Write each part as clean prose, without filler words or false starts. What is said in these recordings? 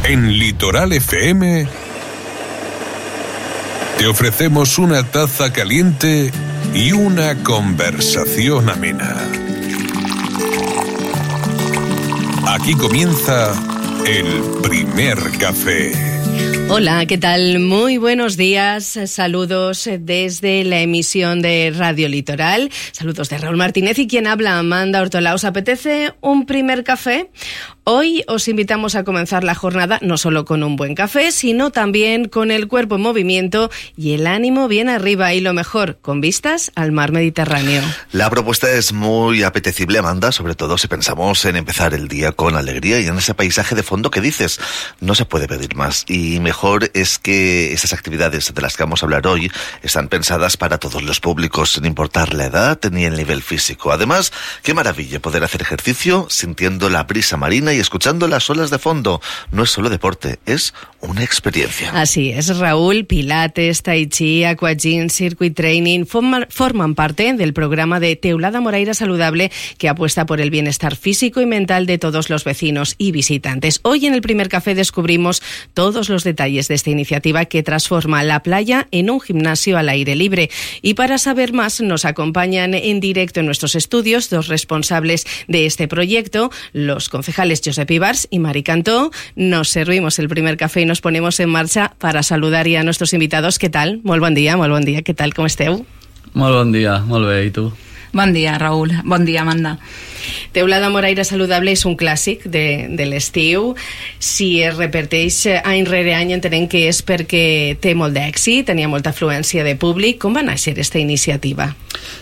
En Litoral FM te ofrecemos una taza caliente y una conversación amena. Aquí comienza el primer café. Hola, ¿qué tal? Muy buenos días. Saludos desde la emisión de Radio Litoral. Saludos de Raúl Martínez y quien habla, Amanda Hortolà. ¿Os apetece un primer café? Hoy os invitamos a comenzar la jornada no solo con un buen café, sino también con el cuerpo en movimiento y el ánimo bien arriba, y lo mejor, con vistas al mar Mediterráneo. La propuesta es muy apetecible, Amanda, sobre todo si pensamos en empezar el día con alegría y en ese paisaje de fondo que dices, no se puede pedir más. Y mejor es que esas actividades de las que vamos a hablar hoy están pensadas para todos los públicos, sin importar la edad ni el nivel físico. Además, qué maravilla poder hacer ejercicio sintiendo la brisa marina y escuchando las olas de fondo. No es solo deporte, es una experiencia. Así es, Raúl. Pilates, Tai Chi, Aquagym, Circuit Training forman parte del programa de Teulada Moraira Saludable, que apuesta por el bienestar físico y mental de todos los vecinos y visitantes. Hoy en el primer café descubrimos todos los detalles de esta iniciativa que transforma la playa en un gimnasio al aire libre. Y para saber más nos acompañan en directo en nuestros estudios dos responsables de este proyecto, los concejales Josep Ibars y Mari Cantó. Nos servimos el primer café y nos ponemos en marcha para saludar ya a nuestros invitados. ¿Qué tal? Molt bon dia. Què tal? Com esteu? Molt bon dia, molt bé. I tu? Bon dia, Raúl. Bon dia, Amanda. Teulada Moraira Saludable és un clàssic de l'estiu. Si es repeteix any rere any, entenem que és perquè té molt d'èxit, tenia molta afluència de públic. Com va néixer aquesta iniciativa?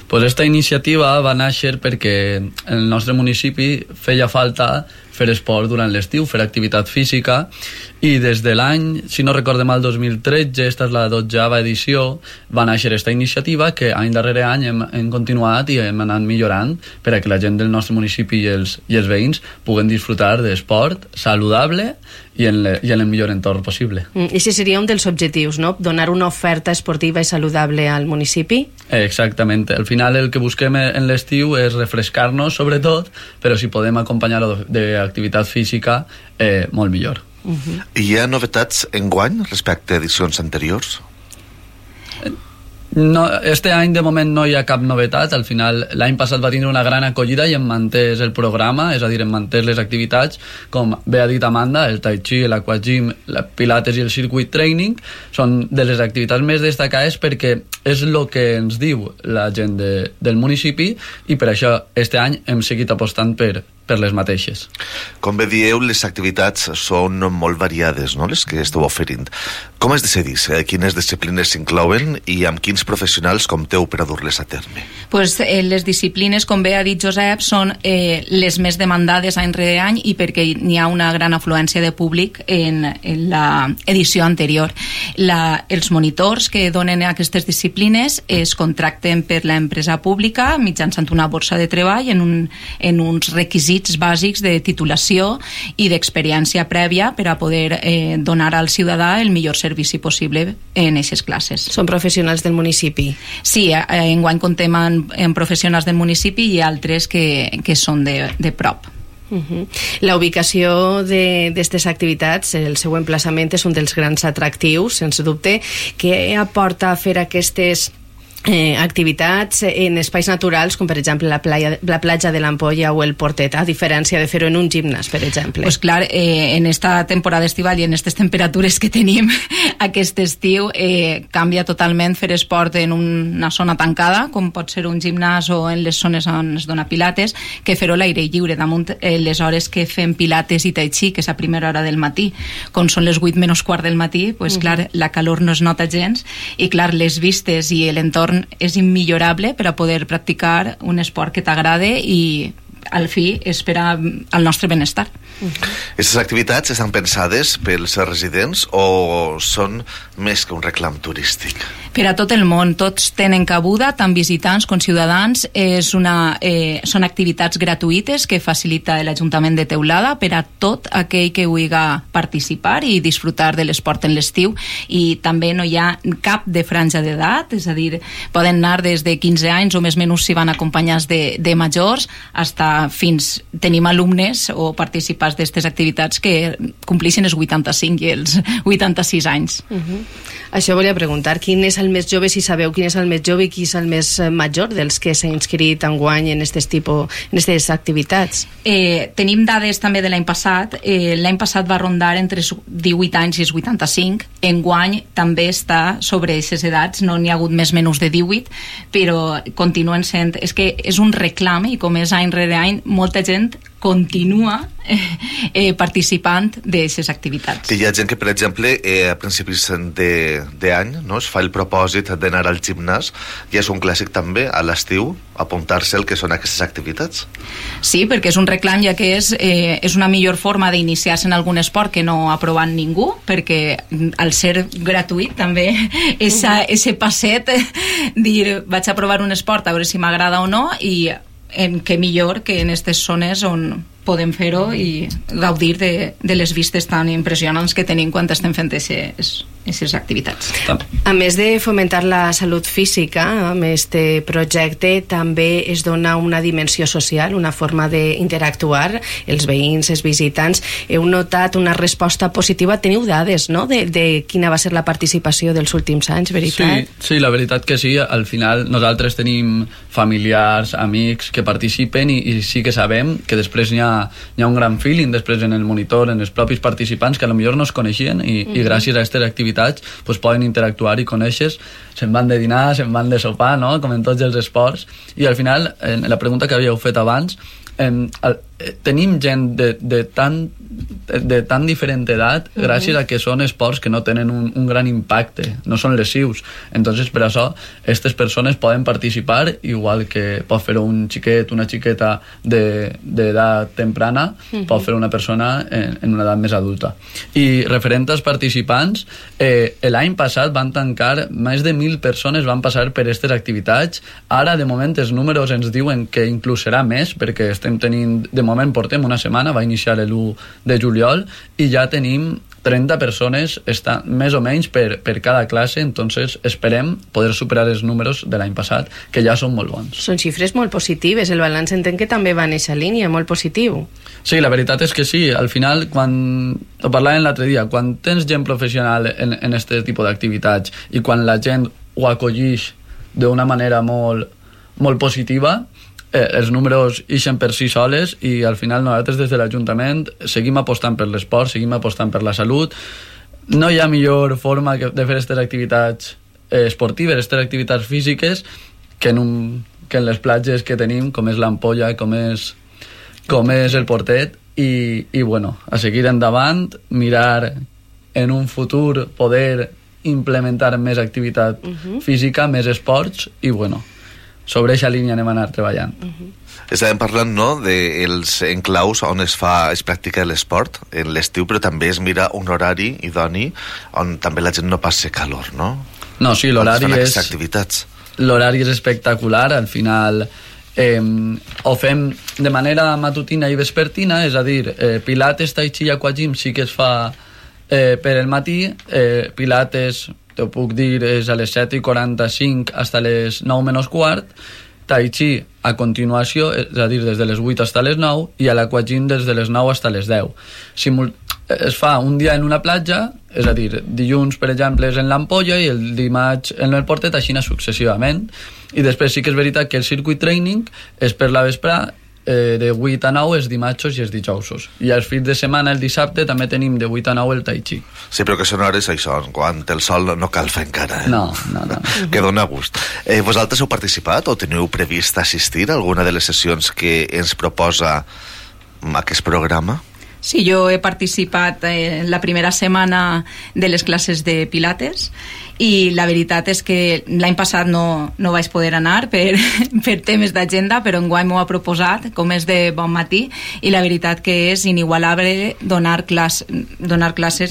Pues esta iniciativa va néixer perquè en el nostre municipi feia falta fer esport durant l'estiu, fer activitat física, i des de l'any, si no recorde mal, 2013, esta és la 12ª edició, va néixer esta iniciativa que any darrere any hem continuat i hem anat millorant per a que la gent del nostre municipi i els veïns puguen disfrutar d'esport saludable i en el millor entorn possible. I si seria un dels objectius, no? Donar una oferta esportiva i saludable al municipi? Exactament. Al final el que busquem en l'estiu és refrescar-nos, sobretot, però si podem acompanyar-ho d'activitat física, molt millor. Hi ha novetats enguany respecte a edicions anteriors? No, este any de moment no hi ha cap novetat. Al final l'any passat va tindre una gran acollida i hem mantès el programa, és a dir, hem mantès les activitats, com bé ha dit Amanda, el Tai Chi, l'Aquagym, el Pilates i el Circuit Training són de les activitats més destacades perquè és el que ens diu la gent del municipi, i per això este any hem seguit apostant per les mateixes. Com bé dieu, les activitats són molt variades, no?, les que esteu oferint. Com es decidís quines disciplines s'inclouen i amb quins professionals compteu per a dur-les a terme? Pues, les disciplines, com bé ha dit Josep, són les més demandades any rere any, i perquè n'hi ha una gran afluència de públic en l'edició anterior. Els monitors que donen aquestes disciplines es contracten per l'empresa pública mitjançant una borsa de treball en uns requisits bàsics de titulació i d'experiència prèvia per a poder donar al ciutadà el millor servici possible en aquestes classes. Són professionals del municipi? Sí, enguany contem en professionals del municipi i altres que són de prop. La ubicació d'aquestes activitats, el seu emplaçament és un dels grans atractius, sense dubte. Què aporta fer aquestes activitats en espais naturals, com per exemple la platja de l'Ampolla o el Portet, a diferència de fer-ho en un gimnàs, per exemple? Pues clar, en esta temporada estival i en aquestes temperatures que tenim aquest estiu, canvia totalment fer esport en una zona tancada, com pot ser un gimnàs, o en les zones on es dona pilates, que fer-ho a l'aire lliure. Damunt les hores que fem pilates i tai chi, que és a primera hora del matí, com són les 8:15 del matí, pues clar, la calor no es nota gens, i clar, les vistes i l'entorn és immillorable per a poder practicar un esport que t'agrade i al fi és per al nostre benestar. Aquestes activitats estan pensades pels residents o són més que un reclam turístic? Per a tot el món, tots tenen cabuda, tant visitants com ciutadans. Són activitats gratuïtes que facilita l'Ajuntament de Teulada per a tot aquell que vulgui participar i disfrutar de l'esport en l'estiu, i també no hi ha cap de franja d'edat, és a dir, poden anar des de 15 anys o més o menys si van acompanyats de majors, fins tenim alumnes o participants d'aquestes activitats que complixen els 85 i els 86 anys. Això volia preguntar, quin és el més jove, si sabeu quin és el més jove i qui és el més major dels que s'ha inscrit enguany en aquestes activitats? Tenim dades també de l'any passat. L'any passat va rondar entre els 18 anys i els 85. Enguany també està sobre aquestes edats, no n'hi ha hagut més menys de 18, però continuen sent... És que és un reclam, i com és any rere any, molta gent continua participant d'aquestes activitats. Hi ha gent que, per exemple, a principis d'any, no, es fa el propòsit d'anar al gimnàs, i és un clàssic també a l'estiu apuntar-se al que són aquestes activitats. Sí, perquè és un reclam, ja que és una millor forma d'iniciar-se en algun esport que no ha provat ningú, perquè al ser gratuït també ese passet dir vaig a provar un esport a veure si m'agrada o no, i què millor que en aquestes zones on podem fer-ho i gaudir de les vistes tan impressionants que tenim quan estem fent aquestes activitats. A més de fomentar la salut física, amb aquest projecte també es dona una dimensió social, una forma d'interactuar, els veïns, els visitants. Heu notat una resposta positiva? Teniu dades, no?, de quina va ser la participació dels últims anys, veritat? Sí, la veritat que sí. Al final nosaltres tenim familiars, amics que participen i sí que sabem que després hi ha un gran feeling després en el monitor, en els propis participants que potser no es coneixien i gràcies a aquestes activitats pues, poden interactuar i conèixer, se'n van de dinar, se'n van de sopar, no?, com en tots els esports. I al final, en la pregunta que havíeu fet abans, tenim gent de tan diferent edat gràcies a que són esports que no tenen un gran impacte, no són lesius. Entonces, per això, aquestes persones poden participar, igual que pot fer un xiquet, una xiqueta d'edat temprana, pot fer una persona en una edat més adulta. I referent als participants, l'any passat van tancar, més de 1.000 persones van passar per aquestes activitats. Ara, de moment, els números ens diuen que inclús serà més, perquè estem tenint, de moment portem una setmana, va iniciar l'1 de juliol, i ja tenim 30 persones més o menys per cada classe, entonces esperem poder superar els números de l'any passat, que ja són molt bons. Són xifres molt positives, el balanç entenc que també va en aquesta línia, molt positiu. Sí, la veritat és que sí, al final, quan ho parlàvem l'altre dia, quan tens gent professional en aquest tipus d'activitats i quan la gent ho acollix d'una manera molt positiva, els números ixen per si soles, i al final nosaltres des de l'Ajuntament seguim apostant per l'esport, seguim apostant per la salut. No hi ha millor forma de fer aquestes activitats esportives, aquestes activitats físiques, que en les platges que tenim, com és l'Ampolla, com és el Portet, i bueno, a seguir endavant, mirar en un futur poder implementar més activitat física, més esports, i bueno, sobre aquesta línia anem a anar treballant. Estàvem parlant, no?, dels enclaus on es practica l'esport en l'estiu, però també es mira un horari idoni on també la gent no passi calor, no? No, sí, l'horari és espectacular. Al final ho fem de manera matutina i vespertina, és a dir, pilates, tai chi i aquagym sí que es fa per el matí, pilates, t'ho puc dir, és a les 7:45 fins a les 9 menys quart, tai chi a continuació, és a dir, des de les 8 fins a les 9, i a l'aquagym des de les 9 fins a les 10. Es fa un dia en una platja, és a dir, dilluns, per exemple, és en l'Ampolla i el dimarts en el Portet, així successivament. I després sí que és veritat que el circuit training és per la vesprà, de 8 a 9 els dimarts i els dijous. I els fins de setmana, el dissabte, també tenim de 8 a 9 el tai chi. Sí, però que són hores, això, quan el sol no cal fer encara. No. Que dona gust. Vosaltres heu participat o teniu previst assistir a alguna de les sessions que ens proposa aquest programa? Sí, jo he participat en la primera setmana de les classes de Pilates, i la veritat és que l'any passat no vaig poder anar per temes d'agenda, però enguany m'ho ha proposat, com és de bon matí, i la veritat que és inigualable donar classes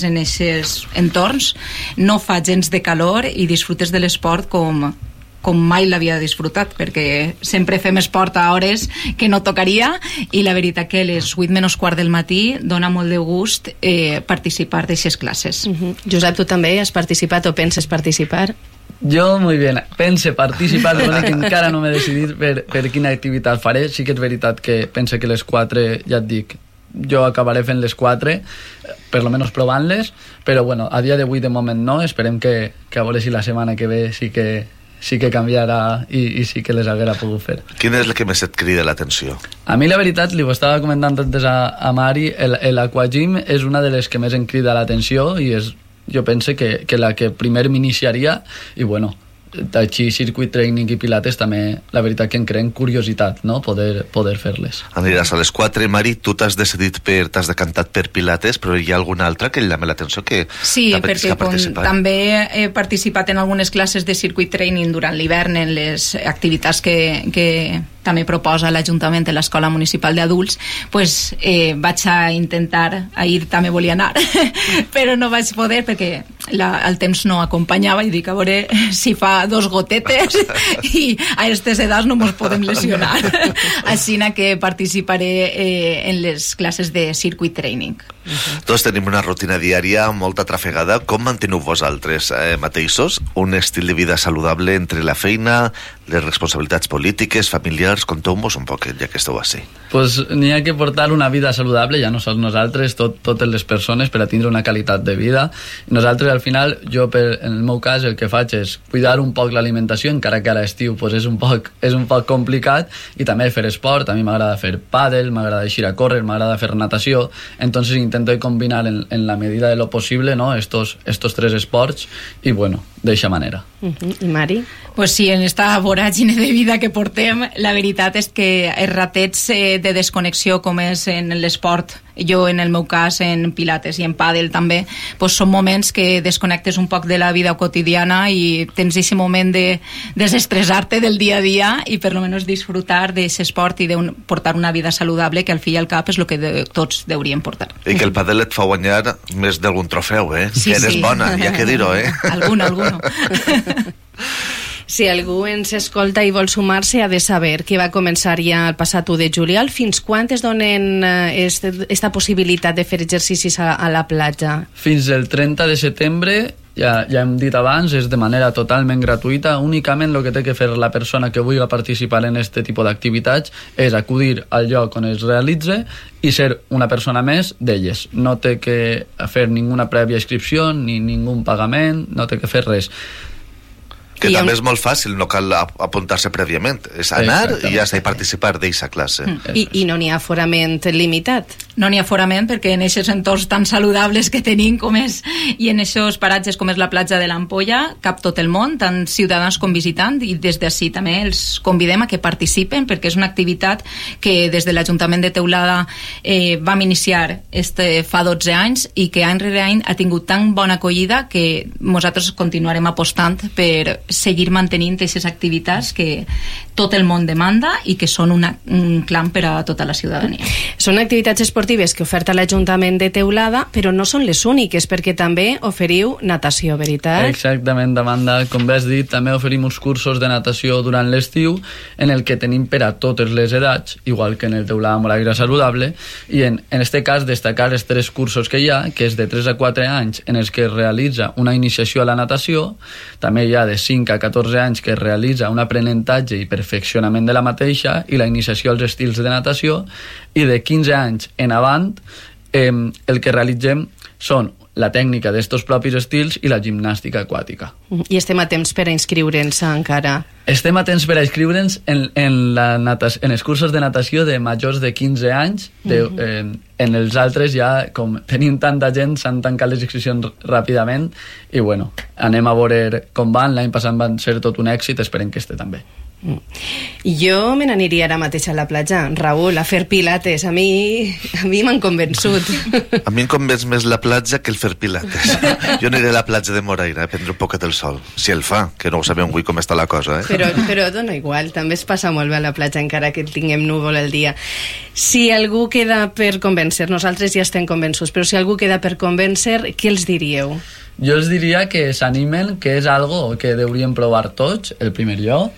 en aquests entorns. No fa gens de calor i disfrutes de l'esport com mai l'havia disfrutat, perquè sempre fem esport a hores que no tocaria, i la veritat que a les 8 menys quart del matí dona molt de gust participar d'aixes classes. Josep, tu també has participat o penses participar? Jo, muy bien. Pense participar, que encara no m'he decidit per quina activitat faré. Sí que és veritat que pense que les 4, ja et dic, jo acabaré fent les 4, per lo menos provant-les, però bueno, a dia d'avui de moment no. Esperem que a veure si la setmana que ve sí que canviarà i sí que les haguera pogut fer. Quina és la que més et crida l'atenció? A mi la veritat, li ho estava comentant antes a Mari, l'Aquagym és una de les que més em crida l'atenció i és, jo penso que la que primer m'iniciaria, i bueno, així circuit training i pilates també, la veritat que em creen curiositat, no? Poder fer-les. Aniràs a les 4, Mari, tu t'has decantat per pilates, però hi ha alguna altra que llama l'atenció que sí, perquè també he participat en algunes classes de circuit training durant l'hivern en les activitats que també proposa l'Ajuntament de l'Escola Municipal d'Adults, pues, vaig a intentar, ahir també volia anar, però no vaig poder perquè el temps no acompanyava i dic, a veure si fa 2 gotetes i a aquestes edats no ens podem lesionar. Així que participaré en les classes de circuit training. Tots tenim una rutina diària molta trafegada. Com manteneu vosaltres mateixos un estil de vida saludable entre la feina, les responsabilitats polítiques, familiars? Conteu-vos un poc, ja que esteu així. Pues n'hi ha que portar una vida saludable, ja no sols nosaltres, totes les persones, per a tindre una qualitat de vida. Nosaltres, al final, en el meu cas, el que faig és cuidar un poc l'alimentació, encara que a l'estiu pues, és un poc complicat, i també fer esport. A mi m'agrada fer pàdel, m'agrada eixir a córrer, m'agrada fer natació, entonces intento combinar en la medida de lo posible, ¿no? estos 3 esports, i bueno, d'eixa manera. I Mari? Pues sí, en esta voràgine de vida que portem, la veritat és que els ratets de desconnexió, com és en l'esport, jo en el meu cas en pilates i en pàdel també, pues són moments que desconnectes un poc de la vida quotidiana i tens aquest moment de desestressar-te del dia a dia i per lo menos disfrutar d'aquest esport i de portar una vida saludable, que al fi i al cap és el que tots hauríem portar. I que el pàdel et fa guanyar més d'algun trofeu, Sí, que eres bona, hi ha que dir-ho, Alguno. Si algú ens escolta i vol sumar-se, ha de saber que va començar ja el passat 1 de juliol. Fins quan es donen esta possibilitat de fer exercicis a la platja? Fins el 30 de setembre, ja hem dit abans, és de manera totalment gratuïta. Únicament el que té que fer la persona que vulgui participar en aquest tipus d'activitats és acudir al lloc on es realitza i ser una persona més d'elles. No té que fer ninguna prèvia inscripció ni ningú pagament, no té que fer res. Que també és molt fàcil, no cal apuntar-se prèviament. És anar i ja està, i participar d'aquesta classe. I no n'hi ha aforament limitat? No n'hi ha aforament perquè en aquests entorns tan saludables que tenim com és, i en aquests paratges com és la platja de l'Ampolla, cap tot el món, tant ciutadans com visitants, i des d'ací també els convidem a que participen perquè és una activitat que des de l'Ajuntament de Teulada vam iniciar fa 12 anys i que any rere any ha tingut tan bona acollida que nosaltres continuarem apostant per seguir mantenint aquestes activitats que tot el món demanda i que són un clam per a tota la ciutadania. Són activitats esportives que oferta l'Ajuntament de Teulada, però no són les úniques, perquè també oferiu natació, veritat? Exactament, Amanda. Com bé has dit, també oferim uns cursos de natació durant l'estiu en el que tenim per a totes les edats, igual que en el Teulada Moraire Saludable, i en este cas destacar els 3 cursos que hi ha, que és de 3 a 4 anys en els que es realitza una iniciació a la natació, també hi ha de 5 a 14 anys que es realitza un aprenentatge i perfeccionament de la mateixa i la iniciació als estils de natació, i de 15 anys en avant el que realitzem són la tècnica d'estos propis estils i la gimnàstica aquàtica. I estem a temps per a inscriure'ns encara? Estem a temps per a inscriure'ns en els cursos de natació de majors de 15 anys. En els altres ja, com tenim tanta gent, s'han tancat les inscripcions ràpidament i bueno, anem a veure com van. L'any passat van ser tot un èxit, esperem que este també. Jo me n'aniria ara mateix a la platja, Raül, a fer pilates. A mi m'han convençut. A mi em convenç més la platja que el fer pilates. Jo aniré a la platja de Moraire a prendre un poquet el sol, si el fa, que no ho sabem avui com està la cosa, Però dona igual, també es passa molt bé a la platja encara que tinguem núvol el dia. Si algú queda per convèncer, nosaltres ja estem convençuts, però si algú queda per convèncer, què els diríeu? Jo els diria que s'animen, que és algo que hauríem provar tots, el primer lloc,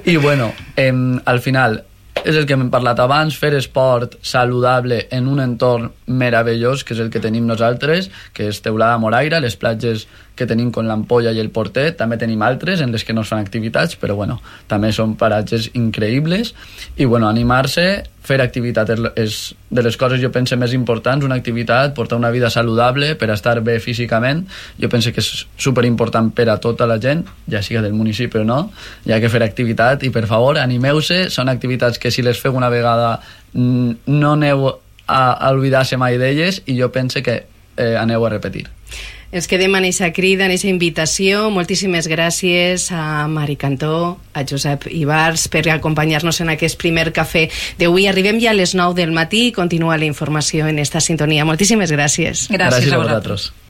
i bueno, al final és el que hem parlat abans, fer esport saludable en un entorn meravellós, que és el que tenim nosaltres, que és Teulada Moraira, les platges que tenim con l'Ampolla i el Portet, també tenim altres en les que no es fan activitats, però bueno, també són paratges increïbles, i bueno, animar-se, fer activitat és de les coses, jo penso, més importants, una activitat, portar una vida saludable per estar bé físicament, jo penso que és superimportant per a tota la gent, ja siga del municipi o no, hi ha que fer activitat, i per favor, animeu-se, són activitats que si les feu una vegada no aneu a oblidar-se mai d'elles, i jo penso que aneu a repetir. Ens quedem en aquesta crida, en aquesta invitació. Moltíssimes gràcies a Mari Cantó, a Josep Ibars per acompanyar-nos en aquest primer cafè d'avui. Arribem ja a les 9 del matí i continua la informació en esta sintonia. Moltíssimes gràcies. Gràcies a vosaltres.